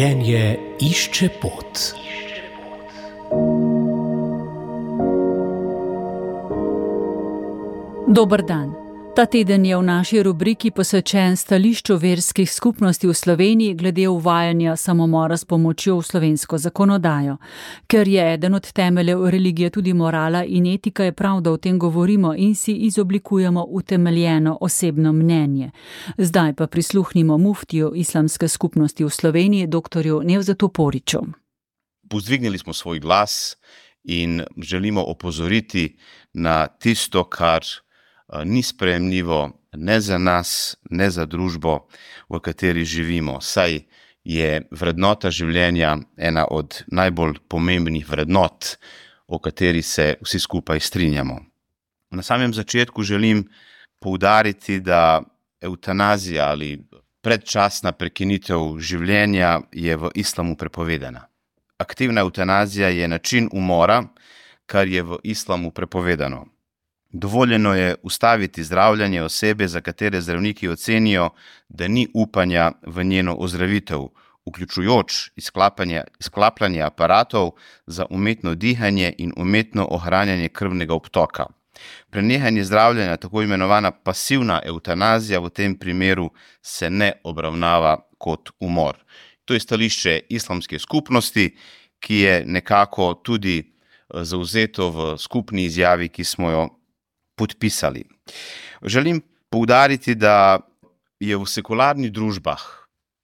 Življenje išče pot. Dober dan. Ta teden je v naši rubriki posvečen stališču verskih skupnosti v Sloveniji glede uvajanja samomora s pomočjo v slovensko zakonodajo. Ker je eden od temeljev religije tudi morala in etika, je prav, da o tem govorimo in si izoblikujemo utemeljeno osebno mnenje. Zdaj pa prisluhnimo muftiju islamske skupnosti v Sloveniji, doktorju Nevzatu Poriću. Povzdignili smo svoj glas in želimo opozoriti na tisto, kar ni sprejemljivo ne za nas, ne za družbo, v kateri živimo, saj je vrednota življenja ena od najbolj pomembnih vrednot, o kateri se vsi skupaj strinjamo. Na samem začetku želim poudariti, da evtanazija ali predčasna prekinitev življenja je v islamu prepovedana. Aktivna evtanazija je način umora, kar je v islamu prepovedano. Dovoljeno je ustaviti zdravljenje osebe, za katere zdravniki ocenijo, da ni upanja v njeno ozdravitev, vključujoč izklapljanje aparatov za umetno dihanje in umetno ohranjanje krvnega obtoka. Prenehanje zdravljenja, tako imenovana pasivna evtanazija, v tem primeru se ne obravnava kot umor. To je stališče islamske skupnosti, ki je nekako tudi zavzeto v skupni izjavi, ki smo jo podpisali. Želim poudariti, da je v sekularnih družbah,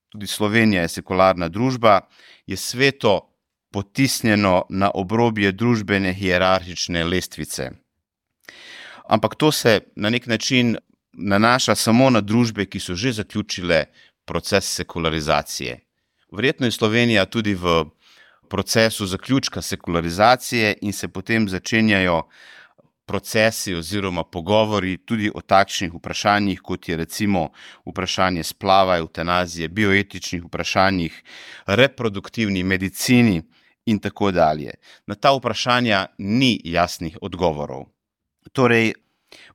tudi Slovenija je sekularna družba, je sveto potisnjeno na obrobje družbene hierarhične lestvice. Ampak to se na nek način nanaša samo na družbe, ki so že zaključile proces sekularizacije. Verjetno je Slovenija tudi v procesu zaključka sekularizacije in se potem začenjajo procesi oziroma pogovori tudi o takšnih vprašanjih, kot je recimo vprašanje splava, evtanazije, bioetičnih vprašanjih, reproduktivni medicini in tako dalje. Na ta vprašanja ni jasnih odgovorov. Torej,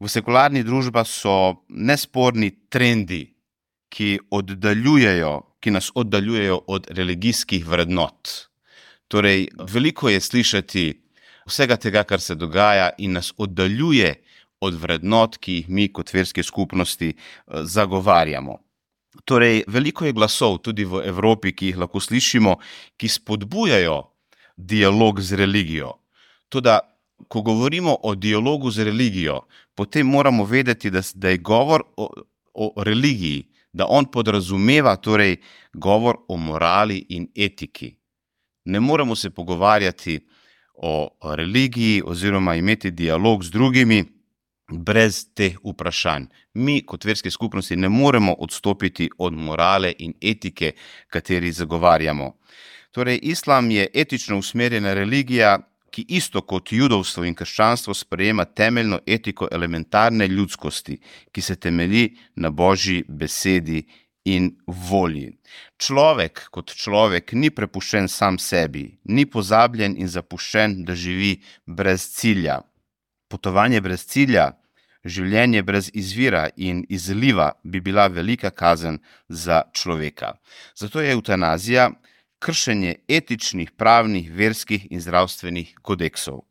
v sekularnih družbah so nesporni trendi, ki nas oddaljujejo od religijskih vrednot. Torej, veliko je slišati vsega tega, kar se dogaja in nas oddaljuje od vrednot, ki jih mi kot verske skupnosti zagovarjamo. Torej, veliko je glasov tudi v Evropi, ki jih lahko slišimo, ki spodbujajo dialog z religijo. Toda, ko govorimo o dialogu z religijo, potem moramo vedeti, da je govor o religiji, da on podrazumeva torej govor o morali in etiki. Ne moremo se pogovarjati o religiji oziroma imeti dialog z drugimi brez teh vprašanj. Mi kot verske skupnosti ne moremo odstopiti od morale in etike, kateri zagovarjamo. Torej, islam je etično usmerjena religija, ki isto kot judovstvo in krščanstvo sprejema temeljno etiko elementarne ljudskosti, ki se temelji na Božji besedi in volji. Človek kot človek ni prepuščen sam sebi, ni pozabljen in zapuščen, da živi brez cilja. Potovanje brez cilja, življenje brez izvira in izliva bi bila velika kazen za človeka. Zato je evtanazija kršenje etičnih, pravnih, verskih in zdravstvenih kodeksov.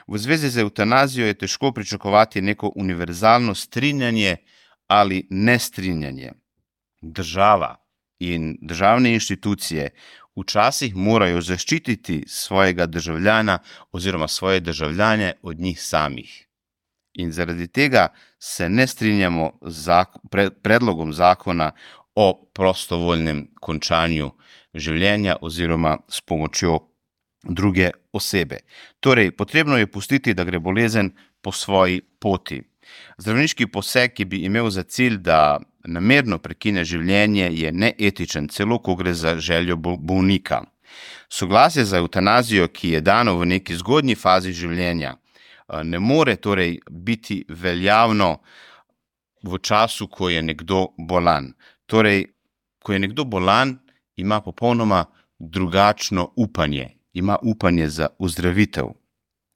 V zvezi z evtanazijo je težko pričakovati neko univerzalno strinjanje ali nestrinjanje. Država in državne inštitucije včasih morajo zaščititi svojega državljana oziroma svoje državljane od njih samih. In zaradi tega se ne strinjamo z predlogom zakona o prostovoljnem končanju življenja oziroma s pomočjo druge osebe. Torej, potrebno je pustiti, da gre bolezen po svoji poti. Zdravniški poseg, ki bi imel za cilj, da namerno prekine življenje, je neetičen, celo ko gre za željo bolnika. Soglasje za evtanazijo, ki je dano v neki zgodnji fazi življenja, ne more torej biti veljavno v času, ko je nekdo bolan. Torej, ko je nekdo bolan, ima popolnoma drugačno upanje, ima upanje za ozdravitev.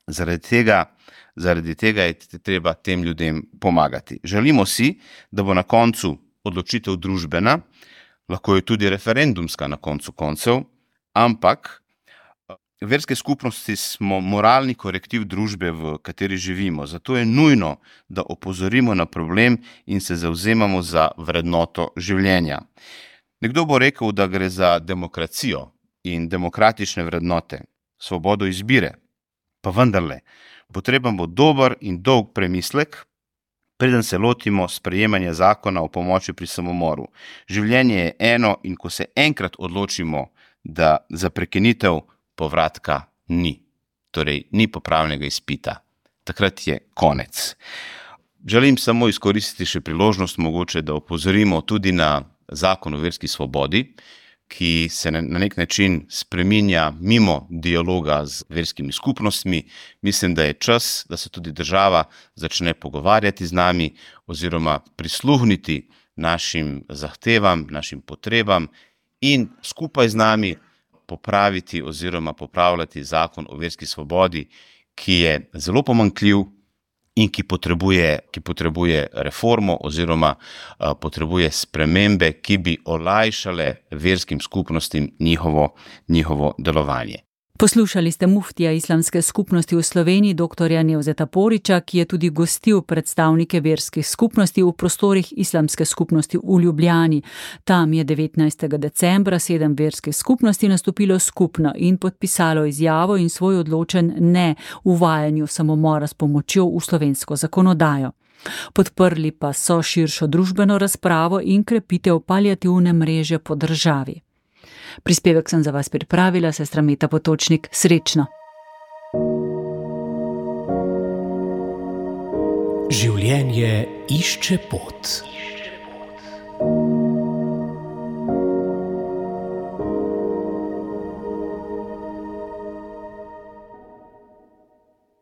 Zaradi tega je treba tem ljudem pomagati. Želimo si, da bo na koncu odločitev družbena, lahko je tudi referendumska na koncu koncev, ampak verske skupnosti smo moralni korektiv družbe, v kateri živimo. Zato je nujno, da opozorimo na problem in se zavzemamo za vrednoto življenja. Nekdo bo rekel, da gre za demokracijo in demokratične vrednote, svobodo izbire, pa vendarle, potreben bo dober in dolg premislek, preden se lotimo sprejemanja zakona o pomoči pri samomoru. Življenje je eno in ko se enkrat odločimo, da za prekinitev povratka ni. Torej, ni popravnega izpita. Takrat je konec. Želim samo izkoristiti še priložnost mogoče, da opozorimo tudi na zakon o verski svobodi, ki se na nek način spreminja mimo dialoga z verskimi skupnostmi. Mislim, da je čas, da se tudi država začne pogovarjati z nami oziroma prisluhniti našim zahtevam, našim potrebam in skupaj z nami popraviti oziroma popravljati zakon o verski svobodi, ki je zelo pomanjkljiv in ki potrebuje reformo oziroma potrebuje spremembe, ki bi olajšale verskim skupnostim njihovo delovanje. Poslušali ste muftija Islamske skupnosti v Sloveniji, dr. Nevzeta Poriča, ki je tudi gostil predstavnike verskih skupnosti v prostorih Islamske skupnosti v Ljubljani. Tam je 19. decembra 7 verskih skupnosti nastopilo skupno in podpisalo izjavo in svoj odločen ne uvajanju samomora s pomočjo v slovensko zakonodajo. Podprli pa so širšo družbeno razpravo in krepitev paliativne mreže po državi. Prispevek sem za vas pripravila, sestra Meta Potočnik. Srečno! Življenje išče pot.